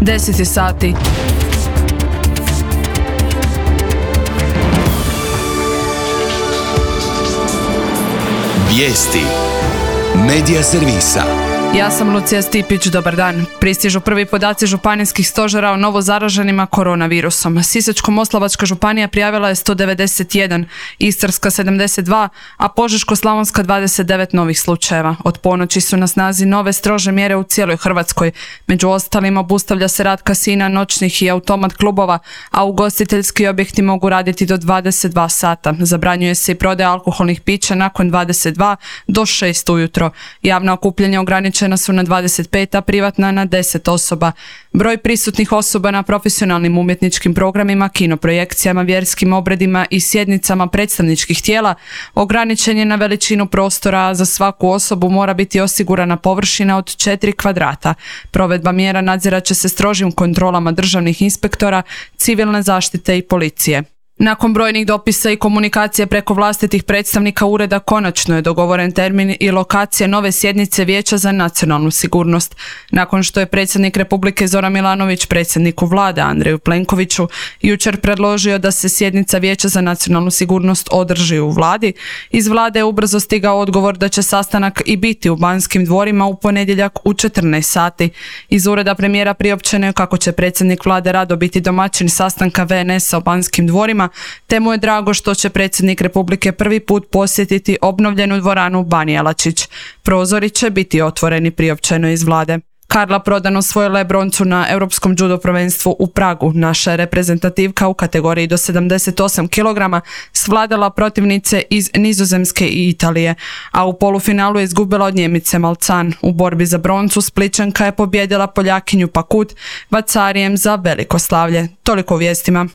10 sati. Vijesti Medija servisa. Ja sam Lucija Stipić, dobar dan. Pristižu prvi podaci županijskih stožera o novo zaraženima koronavirusom. Sisačko-moslavačka županija prijavila je 191, Istarska 72, a Požeško-slavonska 29 novih slučajeva. Od ponoći su na snazi nove strože mjere u cijeloj Hrvatskoj. Među ostalim obustavlja se rad kasina, noćnih i automat klubova, a ugostiteljski objekti mogu raditi do 22 sata. Zabranjuje se i prodaja alkoholnih pića nakon 22 do 6 ujutro. Javna okupljanja ograničena su na 25, a privatna na 10 osoba. Broj prisutnih osoba na profesionalnim umjetničkim programima, kinoprojekcijama, vjerskim obredima i sjednicama predstavničkih tijela ograničen je na veličinu prostora, a za svaku osobu mora biti osigurana površina od 4 kvadrata. Provedba mjera nadzirat će se strožim kontrolama državnih inspektora, civilne zaštite i policije. Nakon brojnih dopisa i komunikacije preko vlastitih predstavnika ureda konačno je dogovoren termin i lokacija nove sjednice Vijeća za nacionalnu sigurnost. Nakon što je predsjednik Republike Zoran Milanović predsjedniku Vlade Andreju Plenkoviću jučer predložio da se sjednica Vijeća za nacionalnu sigurnost održi u Vladi, iz Vlade je ubrzo stigao odgovor da će sastanak i biti u Banskim dvorima u ponedjeljak u 14 sati. Iz ureda premijera priopćeno je kako će predsjednik Vlade rado biti domaćin sastanka VNS-a u Banskim dvorima, te mu je drago što će predsjednik Republike prvi put posjetiti obnovljenu dvoranu Ban Jelačić. Prozori će biti otvoreni, priopćeno iz Vlade. Karla Prodan osvojila je broncu na Europskom judo prvenstvu u Pragu. Naša je reprezentativka u kategoriji do 78 kg svladala protivnice iz Nizozemske i Italije, a u polufinalu je izgubila od Njemice Malcan. U borbi za broncu Splićanka je pobijedila Poljakinju Pakut Vacarijem za veliko slavlje. Toliko u vijestima.